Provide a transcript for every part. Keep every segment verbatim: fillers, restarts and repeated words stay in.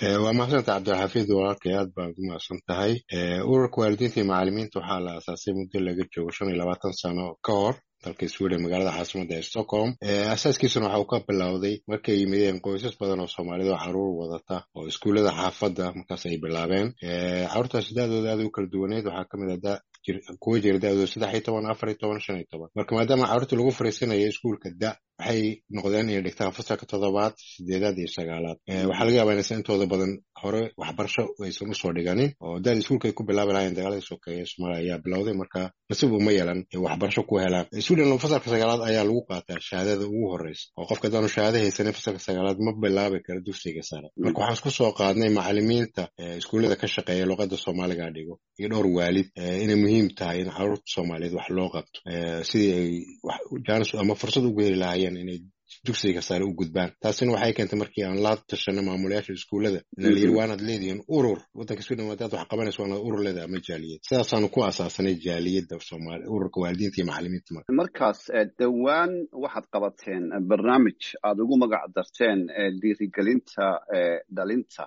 Waa mahadsanta, Cabdilxafiid, walaalkay, aad baan ugu mahadsan tahay. Ururka waalidiinta iyo macalimiinta waxaa la aasaasay muddo laga joogo shan iyo labaatan sano ka hor dalka Sweden, magaalada caasimada ee Stockholm. Asaaskiisuna waxa uu ka bilowday markay yimideen qoysas badan oo Soomaalida oo caruur wadata oo iskuullada xaafadda markaas ay bilaabeen. Caruurtaasi da-dooda aad u kala duwaneed, waxaa kamid ah kuwa jira da-dooda saddex iyo toban, afar iyo toban, shan iyo toban. Marka maadaama carruurta lagu fariisanayo iskuulka da waxay noqdeen inay dhigtaan fasalka toddobaad, sideedaad iyo sagaalaad. Waxaa laga yaabaa inaysan intooda badan hore waxbarasho aysan usoo dhiganin oo da-da iskuulka ay ku bilaabi lahayen dagaaladii sokeeye Soomaaliya ayaa bilowday, marka nasiib uma yeelan waxbarasho ku helaan. Sweden fasalka sagaalaad ayaa lagu qaataa shahaadada ugu horeysa, oo qofka haddaanu shahaado haysanin fasalka sagaalaad ma bilaabi karo dugsiga sare. Marka waxaan isku soo qaadnay macalimiinta iskuullada ka shaqeeya luqadda Soomaaliga dhigo iyo dhowr waalid inay muhiim tahay in caruurta Soomaaliyeed wax loo qabto sidii ay jaanis ama fursad ugu heli lahaayeen inay dugsiga sare u gudbaan. Taasina waxay keentay markii aan la tashanay maamulayaasha iskuullada ina la yiri, waanaad leedihiin urur waddanka Sweden, hadaad wax qabanayso waanaad urur leedahay ama jaaliyad. Sidaasaanu ku asaasanay jaaliyadda Soomaali, ururka waalidiinta iyo macalimiinta. Marka markaas dhowaan waxaad qabateen barnaamij aad ugu magac darteen dhiirigelinta dhalinta.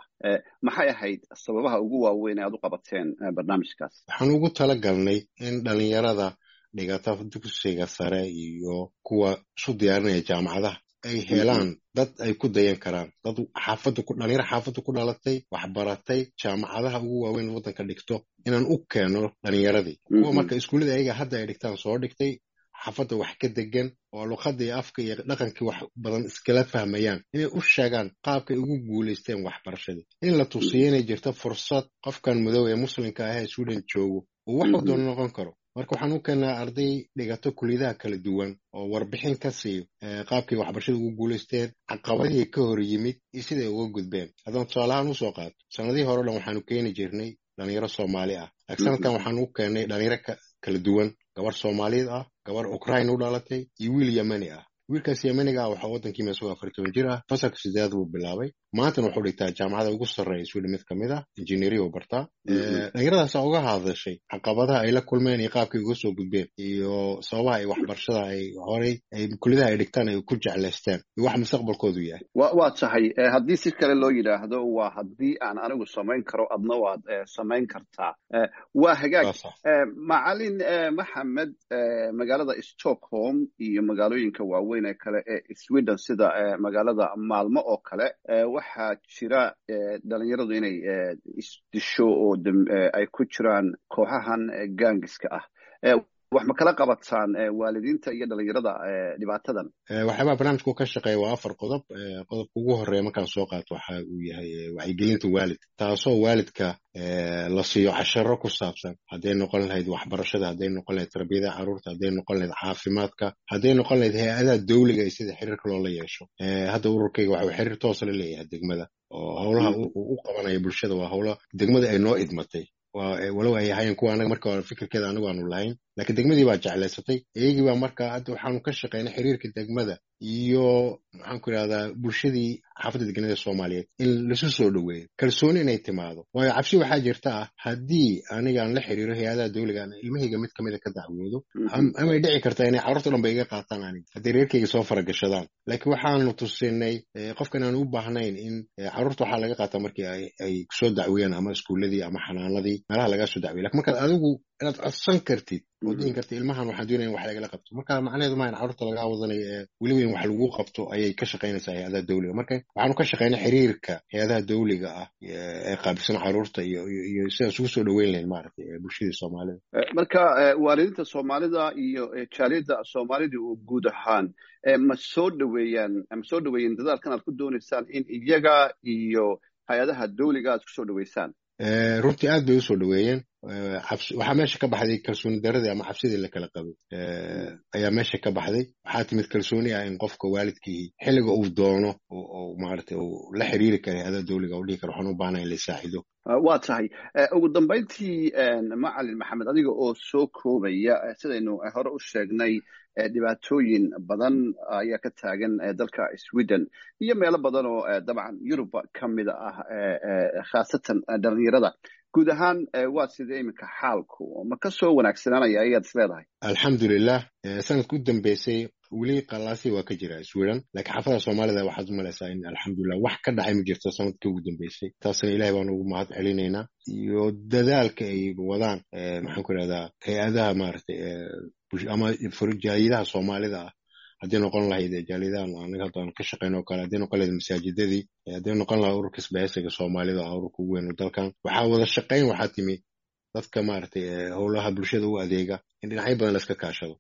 Maxay ahayd sababaha ugu waaweyn ee aad u qabateen barnaamijkaas? Waxaan ugu talagalnay in dhalinyarada dhigata dugsiga sare iyo kuwa isu diyaarinaya jaamacadaha ay helaan dad ay ku dayan karaan, dad xaafadda ku dhalinyaro xaafadda ku dhalatay, waxbaratay, jaamacadaha ugu waaweyn waddanka dhigto, inaan u keeno dhalinyaradii kuwa marka iskuullada ayaga hadda ay dhigtaan soo dhigtay, xaafadda wax ka degan oo luqadda iyo afka iyo dhaqankii wax badan iskala fahmayaan, inay u sheegaan qaabkay ugu guulaysteen waxbarashadii, in la tusiyo inay jirto fursad qofkan madow ee muslimka ah ee Sweden joogo uu wax doono noqon karo. Marka waxaan u keenaa arday dhigato kuliyadaha kala duwan oo warbixin ka siiyo qaabkay waxbarashada ugu guulaysteen, caqabadihii ka hor yimid iyo siday uga gudbeen. Haddaan tusaalahaan usoo qaato, sanadihii hore o dhan waxaanu keeni jirnay dhalinyaro Soomaali ah, laakiin sanadkan waxaan u keennay dhalinyaro kala duwan: gabar Soomaaliyeed ah, gabar Ukraine u dhalatay iyo wiil Yemeni ah. Wiilkaas Yemeniga ah waxaa waddankii isagoo afar toban jir ah fasalka sideedaad buu bilaabay, maantana wuxuu dhigtaa jaamacada ugu sarreeya Sweden mid kamid ah, engineering uu bartaa. Dhalinyaradaasa uga hadashay caqabadaha ay la kulmeen iyo qaabkay uga soo gudbeen iyo sababaha ay waxbarashada ay horay ay kuliyadaha ay dhigtaan ay ku jeclaysteen iyo wax mustaqbalkoodu yahay. wa waa tahay, haddii si kale loo yidhaahdo, waa haddii aan anigu samayn karo, adna waad samayn kartaa. Waa hagaag, Macalin Maxamed. Magaalada Stockholm iyo magaalooyinka waaweyn ee kale ee Sweden, sida magaalada Maalmo oo kale, waxaa jira dhalinyaradu inay isdisho oo ay ku jiraan kooxahan gangiska ah. Wax ma kala qabataan waalidiinta iyo dhalinyarada dhibaatadan? Waxyaabaha barnaamijku ka shaqeeya waa afar qodob. Qodobka ugu horeeya markaan soo qaato waxa uu yahay wacyigelinta waalidka, taasoo waalidka la siiyo casharo ku saabsan hadday noqon lahayd waxbarashada, hadday noqon lahayd tarbiyada carruurta, hadday noqon lahayd caafimaadka, hadday noqon lahayd hay-adaha dawliga iyo sida xiriirka loola yeesho. Hadda ururkayga waxa uu xiriir toosa la leeyahay degmada, oo howlaha uu u qabanaya bulshada waa howlo degmada ay noo idmatay, walow ay ahaayeen kuwa anaga marka hore fikirkeeda anagu aanu lahayn, laakiin degmadii baa jeclaysatay iyagii baa. Marka hadda waxaanu ka shaqeynay xiriirka degmada iyo, maxaan ku idhahdaa, bulshadii xaafadda deganada Soomaaliyeed in lasu soo dhoweeyo, kalsooni inay timaado. Waayo cabsi waxaa jirta ah haddii aniga aan la xiriiro hay-adaha dawliga, aan ilmahayga mid kamida ka dacwoodo, amay dhici kartaa inay carruurta dhan ba iga qaataan aniga hadday reerkayga soo faragashadaan. Laakiin waxaanu tusinay qofkan aan u baahnayn in carruurta waxaa laga qaataa markii ay ay soo dacweeyaan ama iskuuladii ama xanaanadii meelaha lagaa soo dacweya, lakin markaad adigu inaad codsan kartid oo dhihin kartid, ilmahan waxaan doonaya in wax lagala qabto. Marka macnaheedu maaha in carruurta lagaa wadanayo ee weliba in wax lagu qabto ayay ka shaqaynaysaa hay-adaha dawliga. Marka waxaanu ka shaqaynay xiriirka hay-adaha dawliga ah ee qaabilsan carruurta iyo iyo sidaan isugu soo dhoweyn lahayn, maaragtay, bulshadii Soomaalida. Marka waalidiinta Soomaalida iyo jaaliyadda Soomaalida oo guud ahaan ma soo dhoweeyaan, ma soo dhoweeyeen dadaalkan aad ku doonaysaan in iyaga iyo hay-adaha dawliga aad ku soo dhoweysaan? Runtii aad bay usoo dhoweeyeen. Waxaa meesha ka baxday kalsooni daradii ama cabsidii la kala qabay ayaa meesha ka baxday. Waxaa timid kalsooni ah in qofka waalidkii xilliga uu doono oo maaragtay uu la xiriiri kara hay-adaha dawliga, uu dhihi karo, waxaan u baahnaa in la saacido. Waa tahay. Ugu dambayntii, Macalin Maxamed, adiga oo soo koobaya, sidaynu hore u sheegnay, dhibaatooyin badan ayaa ka taagan dalka Sweden iyo meelo badan oo dabcan Yuruba ka mida ah, khaasatan dhalinyarada. Guud ahaan waa sidee iminka xaalku, ma ka soo wanaagsanaanaya ayaad is leedahay? Alxamdulilah, sanadka u dambeysay weli qalaasi waa ka jira Sweden, laakiin xaafadaha Soomaalida waxaad u malaysaa in alxamdulilah wax ka dhacay ma jirto sanadkii ugu dambeysay. Taasna Ilahay baan ugu mahad celinaynaa iyo dadaalka ay wadaan, maxaan ku idhahdaa, hay-adaha maaragtay ama jaaliyadaha Soomaalida ah, haddii noqon lahayd jaaliyadahan anaga hadda aan ka shaqeyno oo kale, haddii noqon lahayd masaajidadii, haddii noqon lahayd ururka isbahaysiga Soomaalida, ururka ugu weyn dalkan. Waxaa wada shaqeyn, waxaa timi dadka maaragtay howlaha bulshada u adeega in dhinacyo badan la iska kaashado.